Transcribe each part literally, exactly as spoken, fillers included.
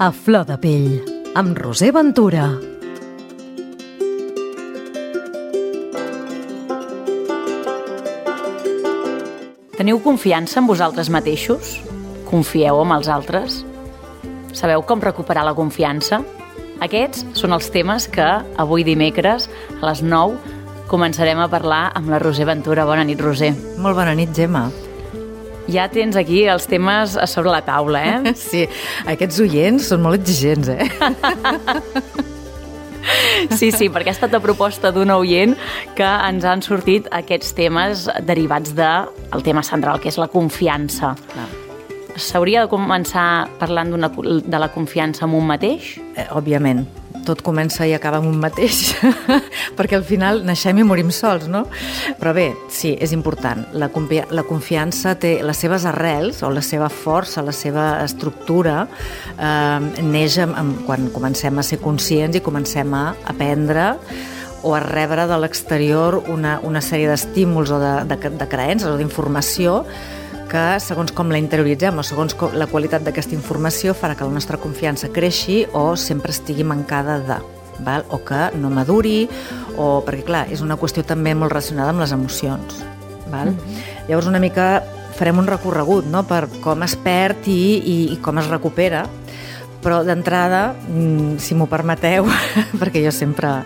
A flor de pell, amb Roser Ventura. Teniu confiança en vosaltres mateixos? Confieu en els altres? Sabeu com recuperar la confiança? Aquests són els temes que avui dimecres a les nou començarem a parlar amb la Roser Ventura. Bona nit, Roser. Molt bona nit, Gemma. Ja tens aquí els temes a sobre la taula, eh? Sí, aquests oients són molt exigents, eh? Sí, sí, perquè ha estat la proposta d'un oient que ens han sortit aquests temes derivats del tema central, que és la confiança. Clar. S'hauria de començar parlant d'una, de la confiança en un mateix? Eh, òbviament, tot comença i acaba amb un mateix, perquè al final naixem i morim sols, no? Però bé, sí, és important. La, confi- la confiança té les seves arrels, o la seva força, la seva estructura, eh, neix amb, amb, quan comencem a ser conscients i comencem a aprendre o a rebre de l'exterior una, una sèrie d'estímuls o de, de, de creences o d'informació que segons com la interioritzem o segons com la qualitat d'aquesta informació farà que la nostra confiança creixi o sempre estigui mancada de, val? O que no maduri, o perquè clar, és una qüestió també molt relacionada amb les emocions. Val? Mm-hmm. Llavors una mica farem un recorregut, no?, per com es perd i, i, i com es recupera, però d'entrada, si m'ho permeteu, perquè jo sempre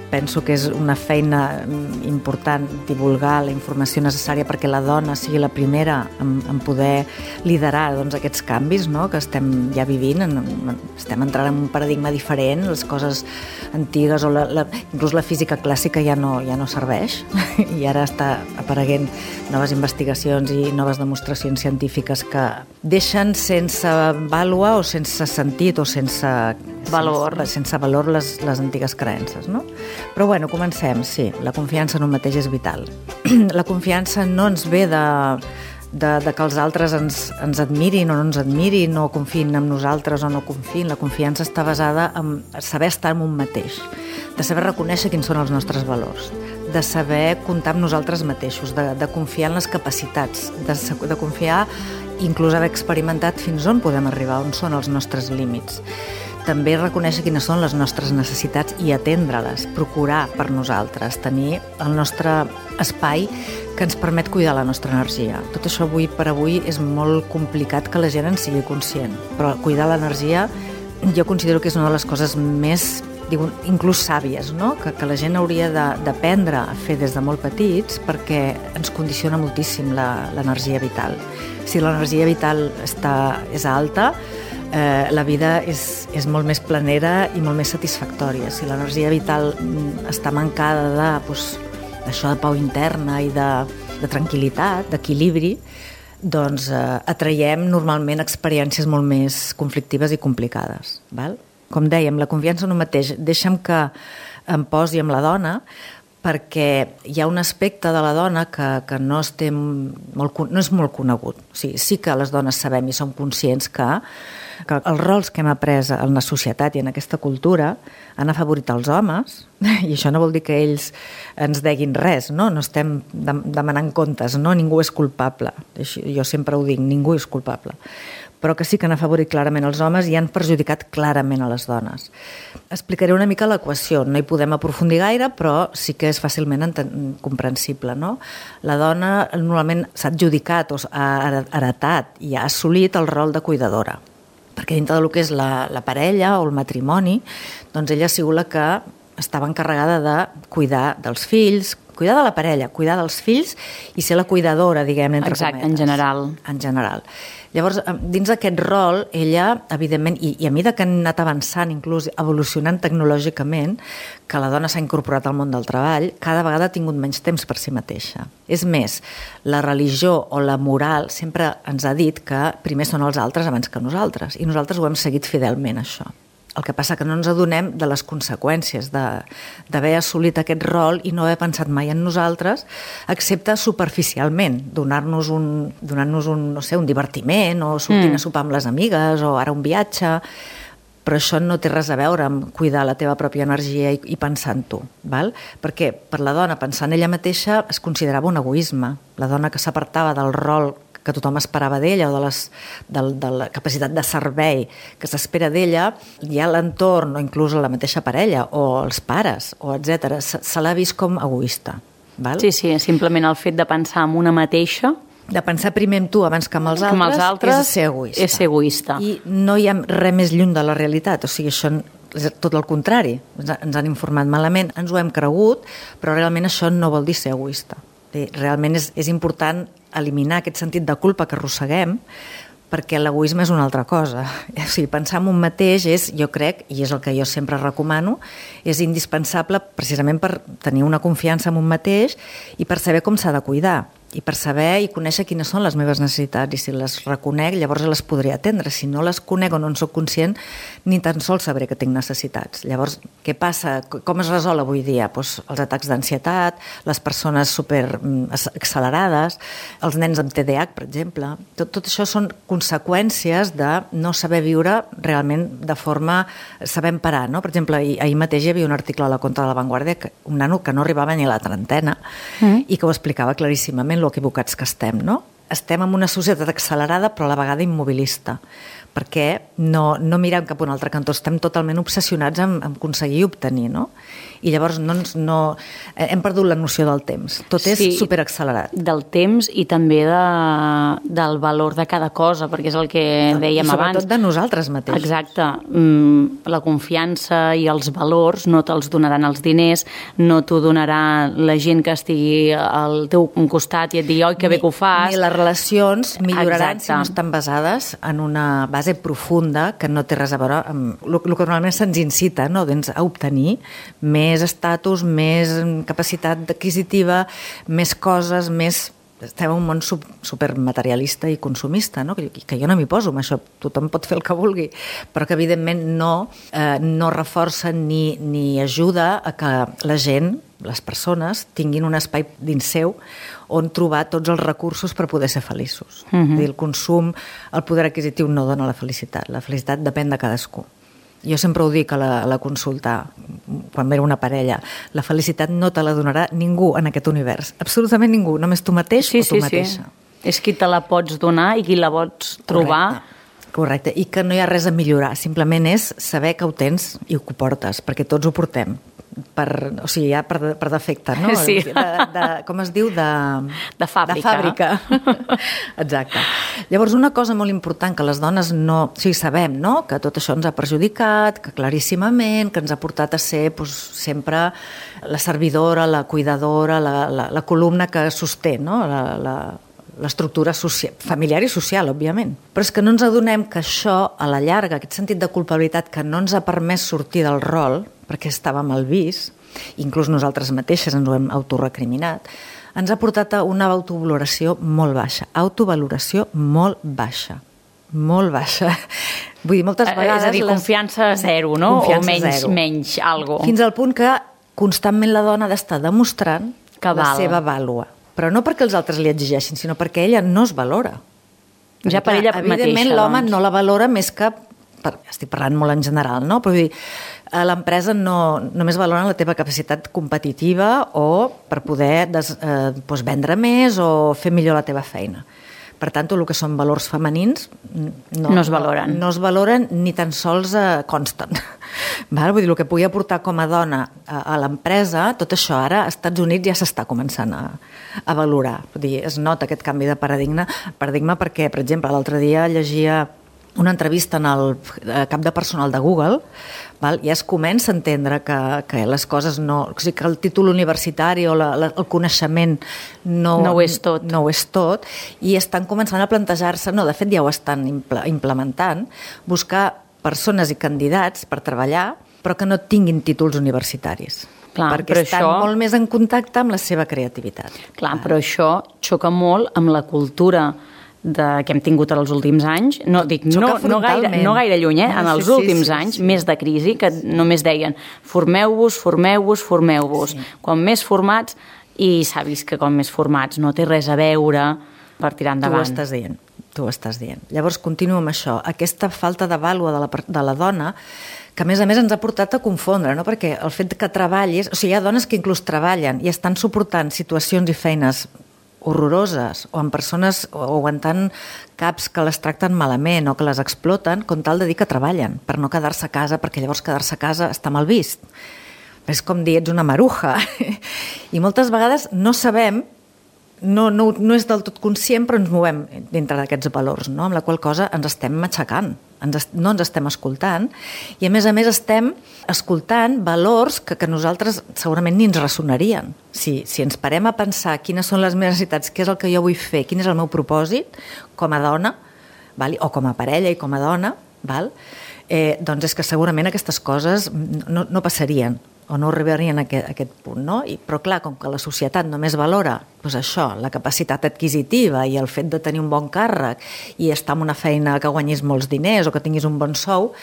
penso que és una feina important divulgar la informació necessària perquè la dona sigui la primera en, en poder liderar doncs, aquests canvis, no?, que estem ja vivint, en, en, estem entrant en un paradigma diferent, les coses antigues o la, la, inclús la física clàssica ja no, ja no serveix i ara està apareguent noves investigacions i noves demostracions científiques que deixen sense vàlua o sense sentit o sense valor, sense, sense valor les, les antigues creences, no? Però bueno, comencem, sí, la confiança en un mateix és vital. La confiança no ens ve de, de, de que els altres ens, ens admirin o no ens admirin o confiïn en nosaltres o no confiïn. La confiança està basada en saber estar en un mateix, de saber reconèixer quins són els nostres valors, de saber comptar amb nosaltres mateixos, de, de confiar en les capacitats, de, de confiar, inclús haver experimentat fins on podem arribar, on són els nostres límits. També reconèixer quines són les nostres necessitats i atendre-les, procurar per nosaltres, tenir el nostre espai que ens permet cuidar la nostra energia. Tot això avui per avui és molt complicat que la gent en sigui conscient, però cuidar l'energia jo considero que és una de les coses més, diu, inclús sàvies, no?, que, que la gent hauria de, d'aprendre a fer des de molt petits perquè ens condiciona moltíssim la, l'energia vital. Si l'energia vital està, és alta, Eh, la vida és, és molt més planera i molt més satisfactòria. Si l'energia vital està mancada de, doncs, d'això de pau interna i de, de tranquil·litat, d'equilibri, doncs eh, atraiem normalment experiències molt més conflictives i complicades. Val? Com dèiem, la confiança en un mateix, deixa'm que em posi amb la dona, perquè hi ha un aspecte de la dona que, que no, estem molt, no és molt conegut. O sigui, sí que les dones sabem i som conscients que, que els rols que hem après en la societat i en aquesta cultura han afavorit els homes, i això no vol dir que ells ens deguin res, no? No estem demanant comptes, no? Ningú és culpable. Jo sempre ho dic, ningú és culpable. Però que sí que han afavorit clarament els homes i han perjudicat clarament a les dones. Explicaré una mica l'equació, no hi podem aprofundir gaire, però sí que és fàcilment enten- comprensible, no? La dona normalment s'ha adjudicat o ha heretat i ha assolit el rol de cuidadora, perquè dintre del que és la, la parella o el matrimoni, doncs ella ha sigut la que estava encarregada de cuidar dels fills, cuidar de la parella, cuidar dels fills i ser la cuidadora, diguem, entre Exacte, cometes. en general. En general. Llavors, dins d'aquest rol, ella, evidentment, i, i a mesura que han anat avançant, inclús evolucionant tecnològicament, que la dona s'ha incorporat al món del treball, cada vegada ha tingut menys temps per si mateixa. És més, la religió o la moral sempre ens ha dit que primer són els altres abans que nosaltres, i nosaltres ho hem seguit fidelment, això. El que passa que no ens adonem de les conseqüències d'haver assolit aquest rol i no haver pensat mai en nosaltres, excepte superficialment, donar-nos un, donar-nos un, no sé, un divertiment o sortint mm. a sopar amb les amigues o ara un viatge, però això no té res a veure amb cuidar la teva pròpia energia i, i pensar en tu, val? Perquè per la dona pensar en ella mateixa es considerava un egoisme. La dona que s'apartava del rol que tothom esperava d'ella o de, les, de, de la capacitat de servei que s'espera d'ella, ja l'entorn o inclús la mateixa parella o els pares, o etcètera, se, se l'ha vist com egoista. Val? Sí, sí, simplement el fet de pensar en una mateixa, de pensar primer en tu abans que en els altres, els altres és ser egoista. És ser egoista. I no hi ha res més lluny de la realitat, o sigui, això és tot el contrari. Ens han informat malament, ens ho hem cregut, però realment això no vol dir ser egoista. Realment és, és important eliminar aquest sentit de culpa que arrosseguem, perquè l'egoisme és una altra cosa. O sigui, pensar en un mateix és, jo crec, i és el que jo sempre recomano, és indispensable precisament per tenir una confiança en un mateix i per saber com s'ha de cuidar, i per saber i conèixer quines són les meves necessitats, i si les reconec llavors les podré atendre. Si no les conec o no en soc conscient, ni tan sols sabré que tinc necessitats. Llavors, què passa? Com es resol avui dia? Pues els atacs d'ansietat, les persones super accelerades, els nens amb T D A H, per exemple. Tot, tot això són conseqüències de no saber viure realment de forma sabent parar, no? Per exemple, ahir, ahir mateix hi havia un article a la Contra de la Vanguardia, que, un nano que no arribava ni a la trentena, mm. i que ho explicava claríssimament lo equivocats que estem, no? Estem en una societat accelerada però a la vegada immobilista, perquè no, no mirem cap a un altre cantó, estem totalment obsessionats en, en aconseguir i obtenir, no? I llavors no, no, hem perdut la noció del temps, tot és sí, superaccelerat. Del temps i també de, del valor de cada cosa, perquè és el que dèiem I abans. sobretot de nosaltres mateixos. Exacte, la confiança i els valors no te'ls donaran els diners, no t'ho donarà la gent que estigui al teu costat i et digui, oi, que bé que ho fas. Ni les relacions milloraran Exacte. si no estan basades en una base profunda que no té res a veure amb el que normalment se'ns incita, no? Doncs a obtenir més estatus, més capacitat adquisitiva, més coses, més... Estem en un món supermaterialista i consumista, no? Que, que jo no m'hi poso amb això, tothom pot fer el que vulgui, però que evidentment no, eh, no reforça ni, ni ajuda a que la gent, les persones, tinguin un espai dins seu on trobar tots els recursos per poder ser feliços. Uh-huh. El consum, el poder adquisitiu no dona la felicitat, la felicitat depèn de cadascú. Jo sempre ho dic a la, a la consulta, quan ve una parella, la felicitat no te la donarà ningú en aquest univers, absolutament ningú, només tu mateix sí, o tu sí, mateixa. Sí. És qui te la pots donar i qui la pots trobar. Correcte. Correcte, i que no hi ha res a millorar, simplement és saber que ho tens i que ho portes, perquè tots ho portem. Per, o sigui, ja per, per defecte, no? Sí. De, de, com es diu? De, de fàbrica. De fàbrica. Exacte. Llavors, una cosa molt important que les dones no... O sigui, sabem, no?, que tot això ens ha perjudicat, que claríssimament, que ens ha portat a ser doncs, sempre la servidora, la cuidadora, la, la, la columna que sosté, no?, la, la, l'estructura social, familiar i social, òbviament. Però és que no ens adonem que això, a la llarga, aquest sentit de culpabilitat que no ens ha permès sortir del rol, perquè estava mal vist, inclús nosaltres mateixes ens ho hem autorecriminat, ens ha portat a una autovaloració molt baixa. Autovaloració molt baixa. Molt baixa. Vull dir, moltes vegades... És a dir, confiança les... zero, no? Confiança o menys, zero. menys algo. Fins al punt que constantment la dona ha d'estar demostrant que la val. seva vàlua. Però no perquè els altres li exigeixin, sinó perquè ella no es valora. Ja per ella mateixa, evidentment, l'home doncs. no la valora més que... Per, estic parlant molt en general, no? Però vull dir, a l'empresa no, només valoren la teva capacitat competitiva o per poder des, eh, doncs vendre més o fer millor la teva feina. Per tant, tot el que són valors femenins no, no es valoren. No, no es valoren ni tan sols eh, consten. Val? Vull dir, el que pugui aportar com a dona a, a l'empresa, tot això ara als Estats Units ja s'està començant a, a valorar. Vull dir, es nota aquest canvi de paradigma, paradigma perquè, per exemple, l'altre dia llegia una entrevista en el cap de personal de Google, val? I es comença a entendre que, que les coses no... O sigui, que el títol universitari o la, la, el coneixement no, no ho és tot. No ho és tot, i estan començant a plantejar-se, no, de fet ja ho estan implementant, buscar persones i candidats per treballar, però que no tinguin títols universitaris. Clar, perquè estan això... molt més en contacte amb la seva creativitat. Clar, però això xoca molt amb la cultura de, que hem tingut els últims anys, no, dic, no, no, gaire, no gaire lluny, eh? En els sí, últims sí, sí, anys, sí. Més de crisi, que només deien formeu-vos, formeu-vos, formeu-vos. Sí. Quan més formats, i s'ha vist que com més formats no té res a veure per tirar endavant. Tu ho estàs dient, tu ho estàs dient. Llavors, continuo amb això. Aquesta falta de vàlua de la, de la dona, que a més a més ens ha portat a confondre, no? Perquè el fet que treballis... O sigui, hi ha dones que inclús treballen i estan suportant situacions i feines horroroses o amb persones o aguantant caps que les tracten malament o que les exploten com tal de dir que treballen per no quedar-se a casa, perquè llavors quedar-se a casa està mal vist. És com dir, ets una maruja. I moltes vegades no sabem, no, no, no és del tot conscient, però ens movem dintre d'aquests valors, no? Amb la qual cosa ens estem matxacant, ens, no ens estem escoltant, i a més a més estem escoltant valors que, que nosaltres segurament ni ens ressonarien. Si, si ens parem a pensar quines són les meves necessitats, què és el que jo vull fer, quin és el meu propòsit com a dona, val? O com a parella i com a dona, val? Eh, doncs és que segurament aquestes coses no, no passarien o no arribarien a aquest, a aquest punt, no? I, però clar, com que la societat només valora doncs això, la capacitat adquisitiva i el fet de tenir un bon càrrec i estar en una feina que guanyis molts diners o que tinguis un bon sou,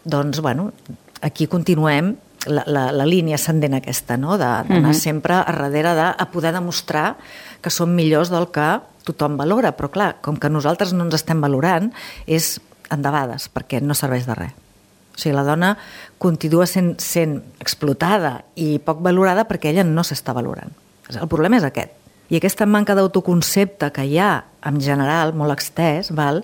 doncs, bueno, aquí continuem la, la, la línia ascendent aquesta, no? D'anar uh-huh. sempre a darrere de a poder demostrar que som millors del que tothom valora, però clar, com que nosaltres no ens estem valorant, és endebades, perquè no serveix de res. O sigui, la dona continua sent, sent explotada i poc valorada perquè ella no s'està valorant. El problema és aquest. I aquesta manca d'autoconcepte que hi ha, en general, molt extès, val,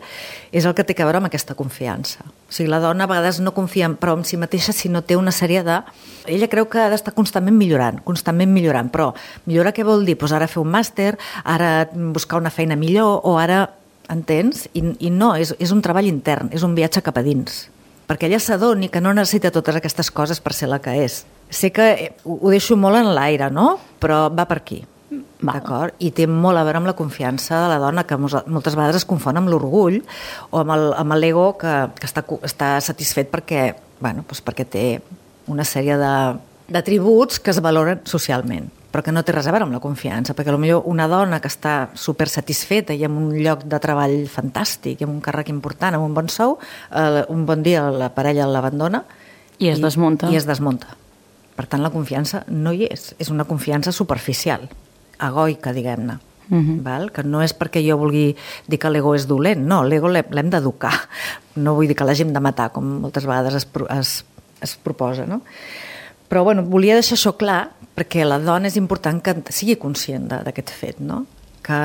és el que té a veure amb aquesta confiança. O sigui, la dona a vegades no confia prou en si mateixa si no té una sèrie de... Ella creu que ha d'estar constantment millorant, constantment millorant, però millorar què vol dir? Pues ara fer un màster, ara buscar una feina millor, o ara... Entens? I, i no, és, és un treball intern, és un viatge cap a dins. Perquè ella s'adoni que no necessita totes aquestes coses per ser la que és. Sé que ho, ho deixo molt en l'aire, no? Però va per aquí, d'acord? I té molt a veure amb la confiança de la dona, que moltes vegades es confon amb l'orgull o amb, el, amb l'ego que, que està, està satisfet perquè, bueno, doncs perquè té una sèrie de, d'atributs que es valoren socialment, però que no té res a veure amb la confiança, perquè potser una dona que està super satisfeta i amb un lloc de treball fantàstic, i amb un càrrec important, amb un bon sou, eh, un bon dia la parella l'abandona i es desmunta. I es desmunta. Per tant, la confiança no hi és. És una confiança superficial, egoica, diguem-ne. Uh-huh. Val? Que no és perquè jo vulgui dir que l'ego és dolent, no, l'ego l'hem d'educar. No vull dir que l'hàgim de matar, com moltes vegades es, es, es proposa, no? Però bueno, volia deixar això clar perquè la dona és important que sigui conscient d'aquest fet, no? Que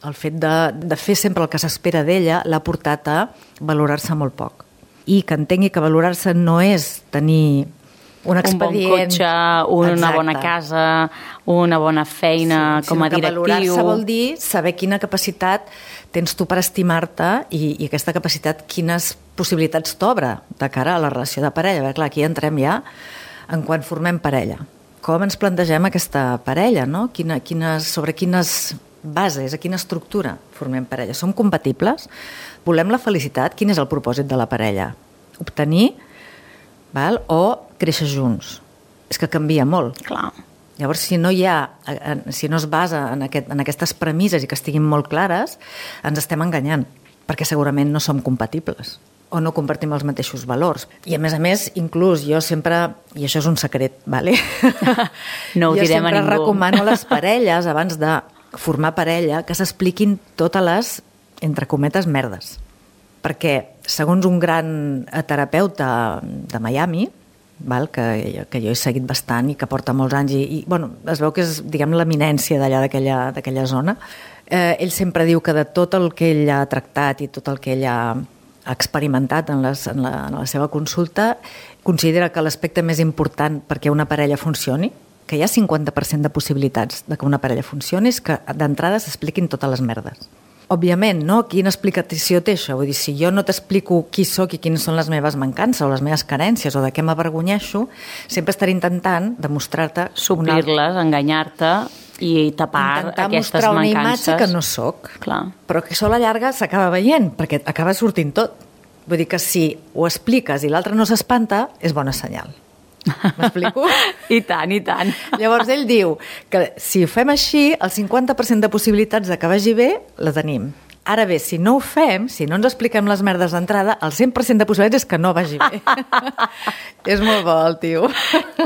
el fet de, de fer sempre el que s'espera d'ella l'ha portat a valorar-se molt poc. I que entengui que valorar-se no és tenir un expedient... Un bon cotxe, una Exacte. bona casa, una bona feina sí, com a directiu... Valorar-se vol dir saber quina capacitat tens tu per estimar-te i, i aquesta capacitat quines possibilitats t'obre de cara a la relació de parella. Perquè clar, aquí entrem ja en quan formem parella. Com ens plantegem aquesta parella, no? Quina, quines, sobre quines bases, a quina estructura formem parella. Som compatibles? Volem la felicitat? Quin és el propòsit de la parella? Obtenir, val? O créixer junts? És que canvia molt. Clar. Llavors, si no hi ha, si no es basa en, aquest, en aquestes premisses i que estiguin molt clares, ens estem enganyant, perquè segurament no som compatibles o no compartim els mateixos valors. I a més a més, inclús jo sempre, i això és un secret, vale? No ho direm a ningú. Jo sempre recomano a les parelles, abans de formar parella, que s'expliquin totes les, entre cometes, merdes. Perquè, segons un gran terapeuta de Miami, val, que, que jo he seguit bastant i que porta molts anys, i, i bueno, es veu que és, diguem, l'eminència d'allà, d'aquella zona, eh, ell sempre diu que de tot el que ell ha tractat i tot el que ell ha ha experimentat en, les, en, la, en la seva consulta, considera que l'aspecte més important perquè una parella funcioni, que hi ha cinquanta per cent de possibilitats de que una parella funcioni, és que d'entrada s'expliquin totes les merdes. Òbviament, no? Quina explicació té això? Vull dir, si jo no t'explico qui sóc i quines són les meves mancances o les meves carències o de què m'avergonyeixo, sempre estaré intentant demostrar-te... Suplir-les, una... enganyar-te i tapar intentar aquestes mostrar una mancances. imatge que no sóc. Clar. Però que això a la llarga s'acaba veient, perquè acaba sortint tot. Vull dir que si ho expliques i l'altre no s'espanta, és bona senyal. M'explico? I tant, i tant. Llavors ell diu que si ho fem així, el cinquanta per cent de possibilitats de que vagi bé la tenim. Ara bé, si no ho fem, si no ens expliquem les merdes d'entrada, el cent per cent de possibilitats és que no vagi bé. És molt bo, el tio.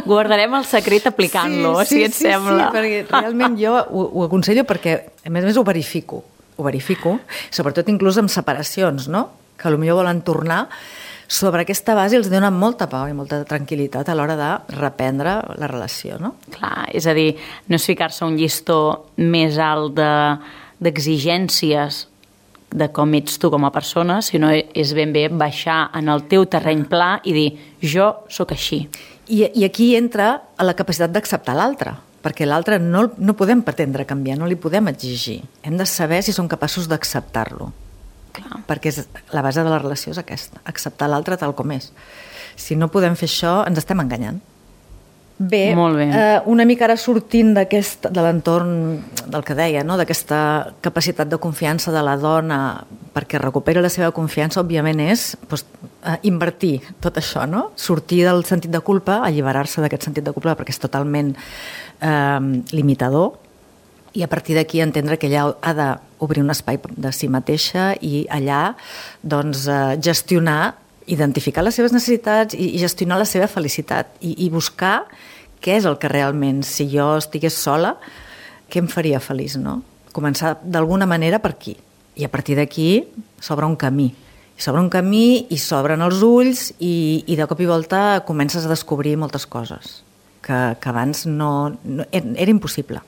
Guardarem el secret aplicant-lo, sí, sí, si et sí, sembla. Sí, perquè realment jo ho, ho aconsello perquè, a més a més, ho verifico. Ho verifico, sobretot inclús amb separacions, no? Que potser volen tornar. Sobre aquesta base els dona molta pau i molta tranquil·litat a l'hora de reprendre la relació, no? Clar, és a dir, no és ficar-se un llistó més alt de... d'exigències de com ets tu com a persona, sinó és ben bé baixar en el teu terreny pla i dir, jo sóc així. I, i aquí entra a la capacitat d'acceptar l'altre, perquè l'altre no, no podem pretendre canviar, no li podem exigir. Hem de saber si som capaços d'acceptar-lo. Clar. Perquè és, la base de la relació és aquesta, acceptar l'altre tal com és. Si no podem fer això, ens estem enganyant. Bé, Molt bé. Eh, una mica ara sortint d'aquest, de l'entorn del que deia, no? D'aquesta capacitat de confiança de la dona perquè recuperi la seva confiança, òbviament és doncs, eh, invertir tot això, no? Sortir del sentit de culpa, alliberar-se d'aquest sentit de culpa perquè és totalment eh, limitador, i a partir d'aquí entendre que ella ha d'obrir un espai de si mateixa i allà doncs, eh, gestionar, identificar les seves necessitats i, i gestionar la seva felicitat i, i buscar què és el que realment, si jo estigués sola, què em faria feliç, no? Començar d'alguna manera per aquí. I a partir d'aquí s'obre un camí. S'obre un camí i s'obren els ulls i, i de cop i volta comences a descobrir moltes coses que, que abans no, no era impossible.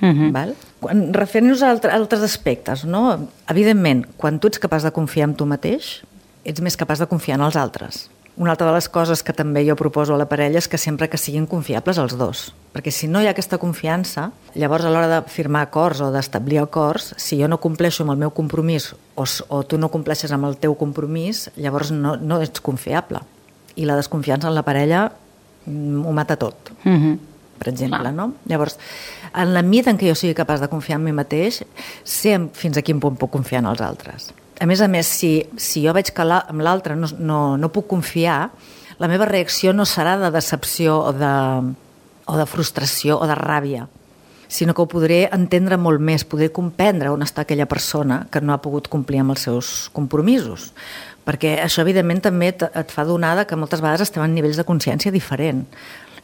Uh-huh. Val? Quan referint-nos a altres aspectes, no? Evidentment, quan tu ets capaç de confiar en tu mateix, ets més capaç de confiar en els altres. Una altra de les coses que també jo proposo a la parella és que sempre que siguin confiables els dos, perquè si no hi ha aquesta confiança, llavors a l'hora de firmar acords o d'establir acords, si jo no compleixo amb el meu compromís o, o tu no compleixes amb el teu compromís, llavors no, no ets confiable. I la desconfiança en la parella ho mata tot. Uh-huh. Per exemple, no? Llavors, en la mida en què jo sigui capaç de confiar en mi mateix, sé fins a quin punt puc confiar en els altres. A més a més, si, si jo veig que la, amb l'altre no, no, no puc confiar, la meva reacció no serà de decepció o de, o de frustració o de ràbia, sinó que ho podré entendre molt més, podré comprendre on està aquella persona que no ha pogut complir amb els seus compromisos. Perquè això, evidentment, també et, et fa donar que moltes vegades estem en nivells de consciència diferent.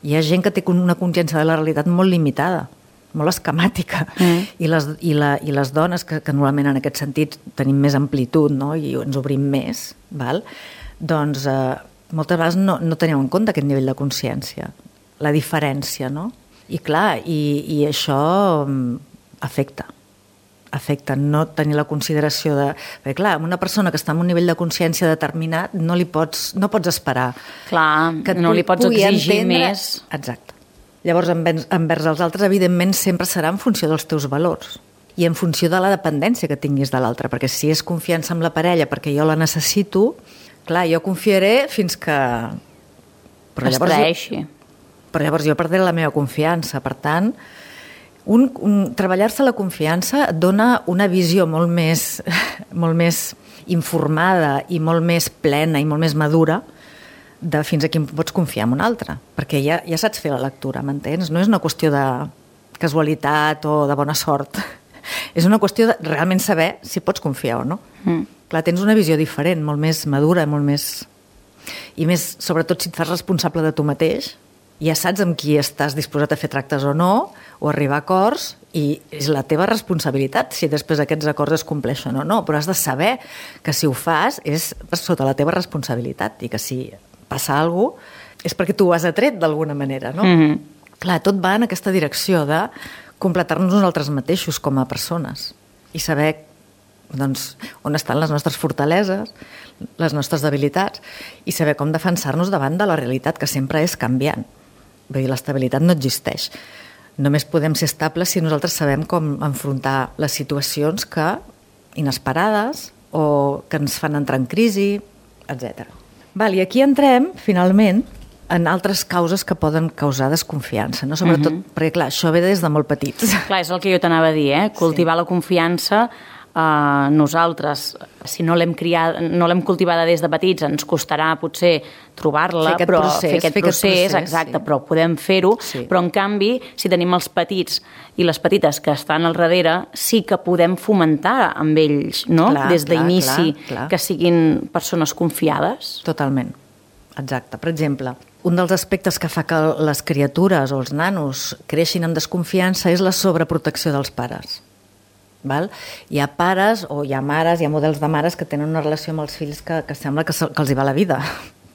Hi ha gent que té una consciència de la realitat molt limitada, molt esquemàtica, mm. I, les, i, la, i les dones que, que normalment en aquest sentit tenim més amplitud, no? I ens obrim més, val? Doncs eh, moltes vegades no, no tenim en compte aquest nivell de consciència, la diferència, no? I clar, i, i això afecta, afecta no tenir la consideració de... Perquè clar, una persona que està en un nivell de consciència determinat no li pots, no pots esperar. Clar, que no li pots exigir entendre... més. Exacte. Llavors, envers, envers els altres, evidentment, sempre serà en funció dels teus valors i en funció de la dependència que tinguis de l'altre, perquè si és confiança amb la parella perquè jo la necessito, clar, jo confiaré fins que... Però es traeixi. Però llavors jo perdré la meva confiança. Per tant, un, un, treballar-se la confiança et dona una visió molt més, molt més informada i molt més plena i molt més madura de fins a quin pots confiar en un altre, perquè ja, ja saps fer la lectura, m'entens? No és una qüestió de casualitat o de bona sort, és una qüestió de realment saber si pots confiar o no. Mm. Clar, tens una visió diferent, molt més madura, molt més... I més, sobretot, si et fas responsable de tu mateix, ja saps amb qui estàs disposat a fer tractes o no, o arribar a acords, i és la teva responsabilitat si després aquests acords es compleixen o no, però has de saber que si ho fas és sota la teva responsabilitat i que si passa alguna cosa és perquè tu ho has atret d'alguna manera, no? Mm-hmm. Clar, tot va en aquesta direcció de completar-nos nosaltres mateixos com a persones i saber doncs, on estan les nostres fortaleses, les nostres debilitats i saber com defensar-nos davant de la realitat, que sempre és canviant. Vull dir, l'estabilitat no existeix. Només podem ser estables si nosaltres sabem com enfrontar les situacions que inesperades o que ens fan entrar en crisi, etcètera. Val, i aquí entrem, finalment, en altres causes que poden causar desconfiança, no? Sobretot, uh-huh. perquè clar, això ve des de molt petits. Clar, és el que jo t'anava a dir, eh? Cultivar sí. La confiança, eh, nosaltres, si no l'hem criat, no l'hem cultivada des de petits, ens costarà potser trobar-la, fer però procés, fer aquest fer procés, aquest procés exacte, sí. però podem fer-ho, sí. Però en canvi, si tenim els petits i les petites que estan al darrere, sí que podem fomentar amb ells, no? Clar, des d'inici, clar, clar. que siguin persones confiades. Totalment, exacte. Per exemple, un dels aspectes que fa que les criatures o els nanos creixin amb desconfiança és la sobreprotecció dels pares. Val? Hi ha pares o hi ha mares, hi ha models de mares que tenen una relació amb els fills que, que sembla que, se, que els hi va la vida.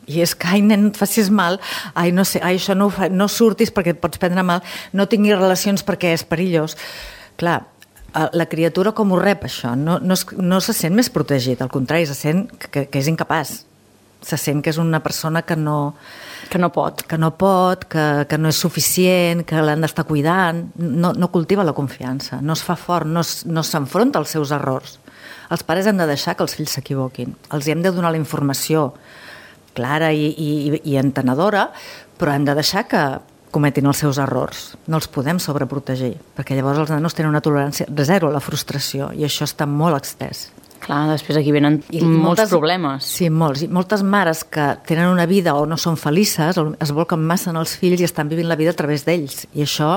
I és que, ai, nen, et facis mal, ai, no sé, ai, això no, fa, no surtis perquè et pots prendre mal, no tinguis relacions perquè és perillós. Clar, la criatura com ho rep, això? No, no, es, no se sent més protegit, al contrari, se sent que, que és incapaç. Se sent que és una persona que no... Que no pot. Que no pot, que, que no és suficient, que l'han d'estar cuidant. No, no cultiva la confiança, no es fa fort, no, es, no s'enfronta als seus errors. Els pares hem de deixar que els fills s'equivoquin. Els hem de donar la informació clara i, i, i entenedora, però hem de deixar que cometin els seus errors. No els podem sobreprotegir, perquè llavors els nanos tenen una tolerància zero a la frustració i això està molt extès. Clar, després aquí venen I molts moltes, problemes. Sí, molts. I moltes mares que tenen una vida o no són felices, es volquen massa en els fills i estan vivint la vida a través d'ells. I això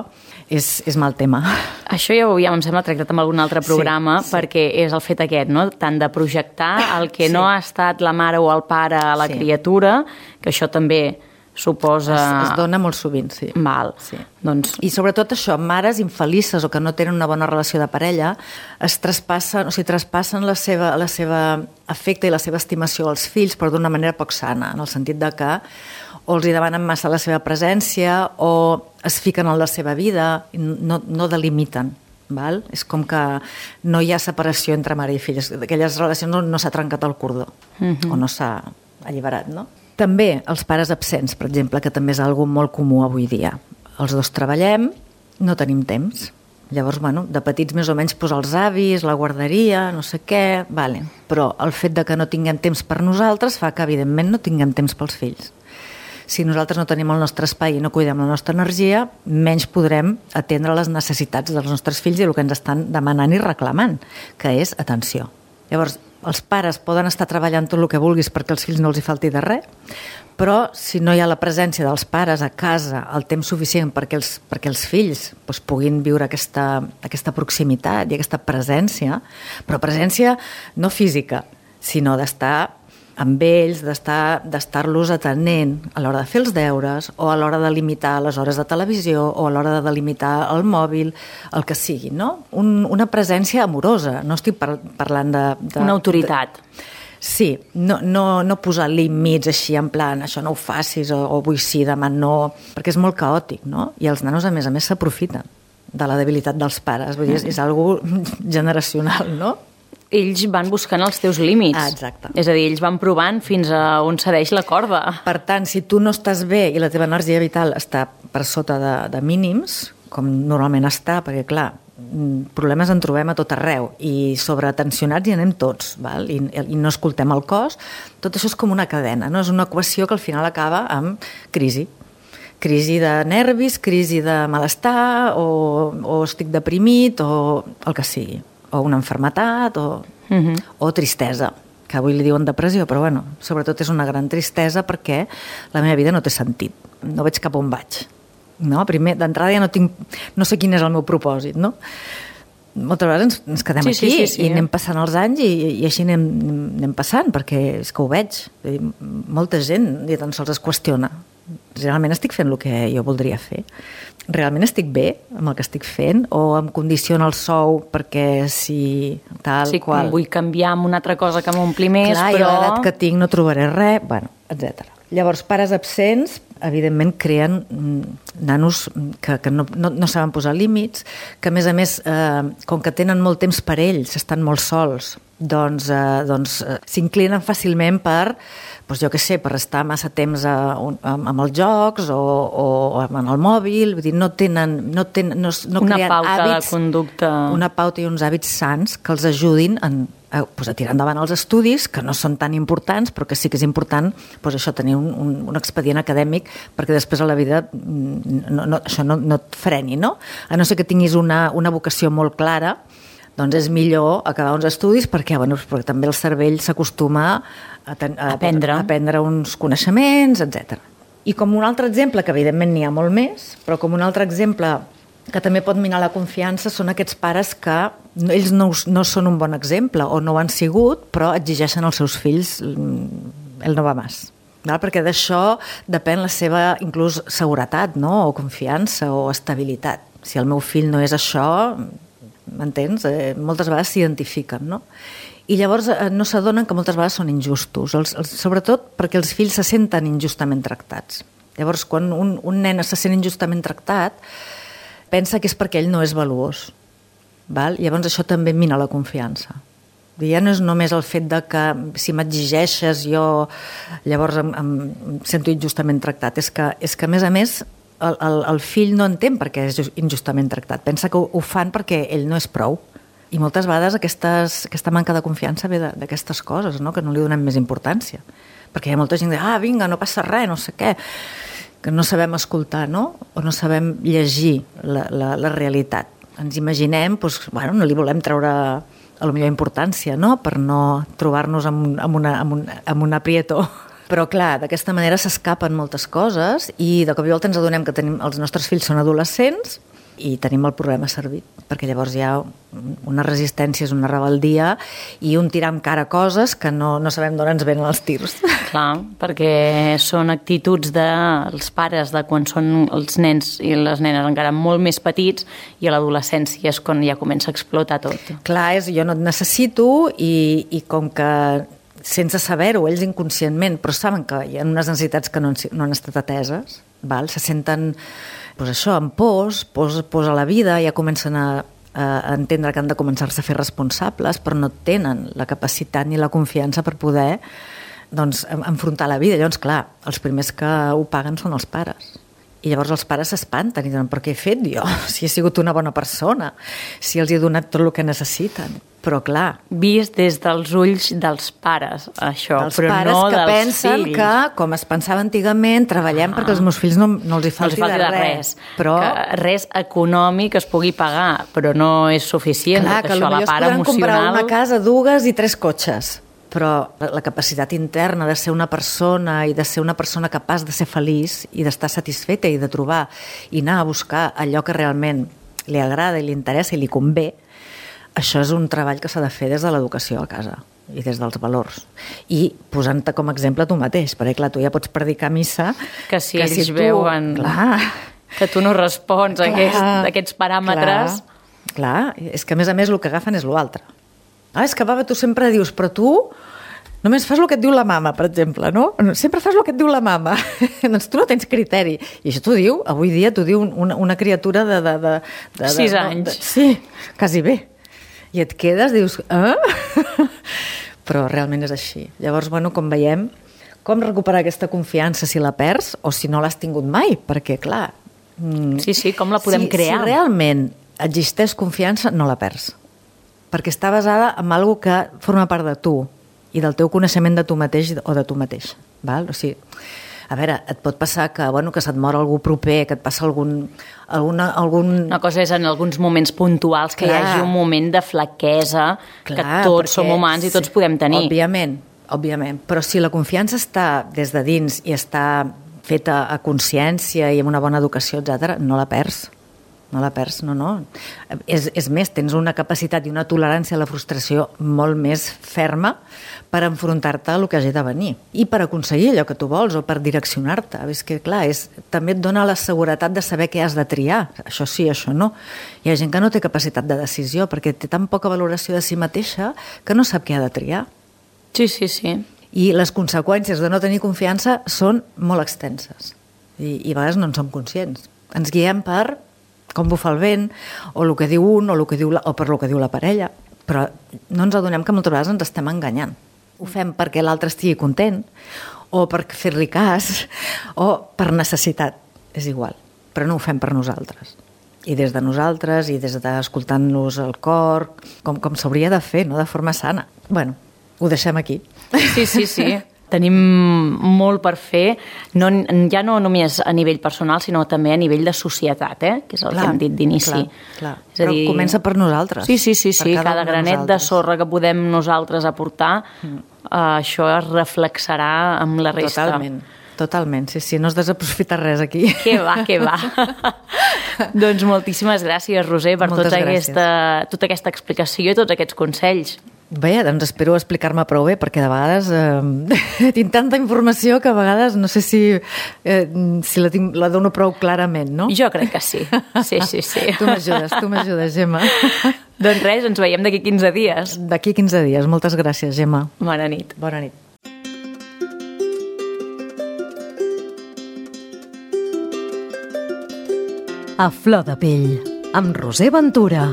és, és mal tema. Això ja ho havíem, em sembla, tractat en algun altre programa, sí, sí. perquè és el fet aquest, no? Tant de projectar el que sí. no ha estat la mare o el pare a la sí. criatura, que això també suposa... Es, es dona molt sovint, sí. Val. Sí. Doncs... I sobretot això, mares infelices o que no tenen una bona relació de parella, es traspassen, o sigui, traspassen la seva, la seva afecte i la seva estimació als fills, però d'una manera poc sana, en el sentit de que o els hi demanen massa la seva presència o es fiquen en la seva vida, no, no delimiten. Val? És com que no hi ha separació entre mare i filles. D'aquelles relacions no, no s'ha trencat el cordó, mm-hmm. o no s'ha alliberat, no? També els pares absents, per exemple, que també és algo molt comú avui dia. Els dos treballem, no tenim temps. Llavors, bueno, de petits més o menys posar els avis, la guarderia, no sé què, vale. Però el fet de que no tinguem temps per nosaltres fa que, evidentment, no tinguem temps pels fills. Si nosaltres no tenim el nostre espai i no cuidem la nostra energia, menys podrem atendre les necessitats dels nostres fills i el que ens estan demanant i reclamant, que és atenció. Llavors, els pares poden estar treballant tot el que vulguis perquè els fills no els hi falti de res, però si no hi ha la presència dels pares a casa el temps suficient perquè els, perquè els fills doncs, puguin viure aquesta, aquesta proximitat i aquesta presència, però presència no física, sinó d'estar amb ells, d'estar, d'estar-los atenent a l'hora de fer els deures o a l'hora de limitar les hores de televisió o a l'hora de delimitar el mòbil, el que sigui, no? Un, una presència amorosa, no estic par parlant de, de... Una autoritat. De, sí, no, no, no posar límits així en plan, això no ho facis o, o vull sí, demà no, perquè és molt caòtic, no? I els nanos, a més a més, s'aprofiten de la debilitat dels pares, vull dir, és, és algo generacional, no? Ells van buscant els teus límits. Ah, exacte. És a dir, ells van provant fins a on cedeix la corda. Per tant, si tu no estàs bé i la teva energia vital està per sota de, de mínims, com normalment està, perquè, clar, problemes en trobem a tot arreu i sobretensionats hi anem tots, val? I, i no escoltem el cos, tot això és com una cadena, no? És una equació que al final acaba amb crisi. Crisi de nervis, crisi de malestar, o, o estic deprimit, o el que sigui. O una enfermetat, o, uh-huh. o tristesa, que avui li diuen depressió, però bueno, sobretot és una gran tristesa perquè la meva vida no té sentit, no veig cap on vaig. No? Primer, d'entrada ja no tinc, no sé quin és el meu propòsit, no? Moltes vegades ens, ens quedem sí, aquí sí, sí, sí. i anem passant els anys i, i així anem, anem passant, perquè és que ho veig. Molta gent ni tan sols es qüestiona. Realment estic fent el que jo voldria fer? Realment estic bé amb el que estic fent? O em condiciona el sou perquè si tal sí, qual... vull canviar amb una altra cosa que m'ompli més, clar, però... i a l'edat que tinc no trobaré res, bueno, etcètera. Llavors, pares absents, evidentment, creen nanos que, que no, no, no saben posar límits, que a més a més, eh, com que tenen molt temps per ells, estan molt sols, doncs, eh, doncs eh, s'inclinen fàcilment per, doncs jo què sé, per estar massa temps a, a, amb els jocs o, o en el mòbil, vull dir, no tenen, no tenen, no, no una creen pauta hàbits, de conducta. Una pauta i uns hàbits sans que els ajudin en, a, doncs a tirar endavant els estudis, que no són tan importants, però que sí que és important doncs això, tenir un, un, un expedient acadèmic perquè després a la vida no, no, això no, no et freni, no? A no ser que tinguis una, una vocació molt clara, doncs és millor acabar uns estudis perquè, bueno, perquè també el cervell s'acostuma a, ten, a, aprendre. a aprendre uns coneixements, etcètera. I com un altre exemple, que evidentment n'hi ha molt més, però com un altre exemple que també pot minar la confiança són aquests pares que ells no, no són un bon exemple o no ho han sigut, però exigeixen als seus fills el no va més. Perquè d'això depèn la seva inclús seguretat, no? O confiança o estabilitat. Si el meu fill no és això... m'entens? Eh, moltes vegades s'identifiquen, no? I llavors eh, no s'adonen que moltes vegades són injustos, els, els, sobretot perquè els fills se senten injustament tractats. Llavors, quan un, un nen se sent injustament tractat, pensa que és perquè ell no és valuós. val? Llavors això també mina la confiança. Ja no és només el fet de que si m'exigeixes jo llavors em, em sento injustament tractat, és que, és que a més a més el, el, el fill no entén per què és injustament tractat, pensa que ho, ho fan perquè ell no és prou. I moltes vegades aquestes, aquesta manca de confiança ve d'aquestes coses, no? Que no li donem més importància. Perquè hi ha molta gent que diu, ah, vinga, no passa res, no sé què, que no sabem escoltar, no? O no sabem llegir la, la, la realitat. Ens imaginem, doncs, bueno, no li volem treure a la millor importància, no? Per no trobar-nos amb, amb, una, amb, un, amb un aprieto. Però, clar, d'aquesta manera s'escapen moltes coses i de cop i volta ens adonem que tenim, els nostres fills són adolescents i tenim el problema servit, perquè llavors hi ha una resistència, una rebeldia i un tirar amb cara coses que no, no sabem d'on ens venen els tirs. Clar, perquè són actituds dels pares de quan són els nens i les nenes encara molt més petits i a l'adolescència és quan ja comença a explotar tot. Clar, és jo no et necessito i, i com que sense saber-ho, ells inconscientment, però saben que hi ha unes necessitats que no han, no han estat ateses, val? Se senten pues això, amb pors, pors, pors a la vida, ja comencen a, a entendre que han de començar-se a fer responsables, però no tenen la capacitat ni la confiança per poder doncs, enfrontar la vida. Llavors, clar, els primers que ho paguen són els pares. I llavors els pares s'espanten i diuen, però què he fet jo? Si he sigut una bona persona, si els he donat tot el que necessiten. Però clar... Vist des dels ulls dels pares, això, dels però pares no que dels pensen fills. que, com es pensava antigament, treballem ah. perquè els meus fills no, no els hi falti, no els falti de res. res. Però... Que res econòmic es pugui pagar, però no és suficient. Clar, que això, la part potser es podran emocional... comprar una casa, dues i tres cotxes. Però la capacitat interna de ser una persona i de ser una persona capaç de ser feliç i d'estar satisfeta i de trobar i anar a buscar allò que realment li agrada i li interessa i li convé, això és un treball que s'ha de fer des de l'educació a casa i des dels valors. I posant-te com a exemple tu mateix, perquè clar, tu ja pots predicar a missa... Que si que ells si tu, veuen clar, que tu no respons a aquest, aquests paràmetres... Clar, clar, és que a més a més el que agafen és l'altre. Ah, és que baba, tu sempre dius, però tu només fas el que et diu la mama, per exemple, no? Sempre fas el que et diu la mama. Doncs tu no tens criteri. I això t'ho diu, avui dia t'ho diu una, una criatura de... de, de, de Sis de, anys. De, sí, quasi bé. I et quedes, dius, eh? Però realment és així. Llavors, bueno, com veiem, com recuperar aquesta confiança si la perds o si no l'has tingut mai? Perquè, clar... Sí, sí, com la podem si, crear? Si realment existeix confiança, no la perds. Perquè està basada en alguna que forma part de tu i del teu coneixement de tu mateix o de tu mateix. Val? O sigui, a veure, et pot passar que, bueno, que se't mor algú proper, que et passa algun... Alguna, algun... Una cosa és en alguns moments puntuals que Clar. hi hagi un moment de flaquesa, Clar, que tots perquè, som humans i tots podem tenir. Òbviament, òbviament. Però si la confiança està des de dins i està feta a consciència i amb una bona educació, etcètera, no la perds. No la perds, no, no. És, és més, tens una capacitat i una tolerància a la frustració molt més ferma per enfrontar-te a el que hagi de venir i per aconseguir allò que tu vols o per direccionar-te. És que, clar, és, també et dona la seguretat de saber què has de triar. Això sí, això no. Hi ha gent que no té capacitat de decisió perquè té tan poca valoració de si mateixa que no sap què ha de triar. Sí, sí, sí. I les conseqüències de no tenir confiança són molt extenses i, i a vegades no en som conscients. Ens guiem per com bufa el vent, o el que diu un, o, el que diu la, o per el que diu la parella. Però no ens adonem que moltes vegades ens estem enganyant. Ho fem perquè l'altre estigui content, o per fer-li cas, o per necessitat. És igual, però no ho fem per nosaltres. I des de nosaltres, i des d'escoltant-nos el cor, com, com s'hauria de fer, no? De forma sana. Bueno, ho deixem aquí. Sí, sí, sí. Tenim molt per fer, no, ja no només a nivell personal, sinó també a nivell de societat, eh? Que és el clar, que hem dit d'inici. Clar, clar. És a dir, però comença per nosaltres. Sí, sí, sí, sí. cada, cada granet de sorra que podem nosaltres aportar, mm. eh, això es reflexarà amb la resta. Totalment, totalment. Sí, sí, no es desaprofita res aquí. Que va, que va. Doncs moltíssimes gràcies, Roser, per tota aquesta, tota aquesta explicació i tots aquests consells. Bé, doncs espero explicar-me prou bé, perquè de vegades eh, tinc tanta informació que a vegades no sé si, eh, si la, tinc, la dono prou clarament, no? Jo crec que sí, sí, sí, sí. Tu m'ajudes, tu m'ajudes, Gemma. Doncs res, ens veiem d'aquí quinze dies. D'aquí quinze dies, moltes gràcies, Gemma. Bona nit. Bona nit. A flor de pell, amb Roser Ventura.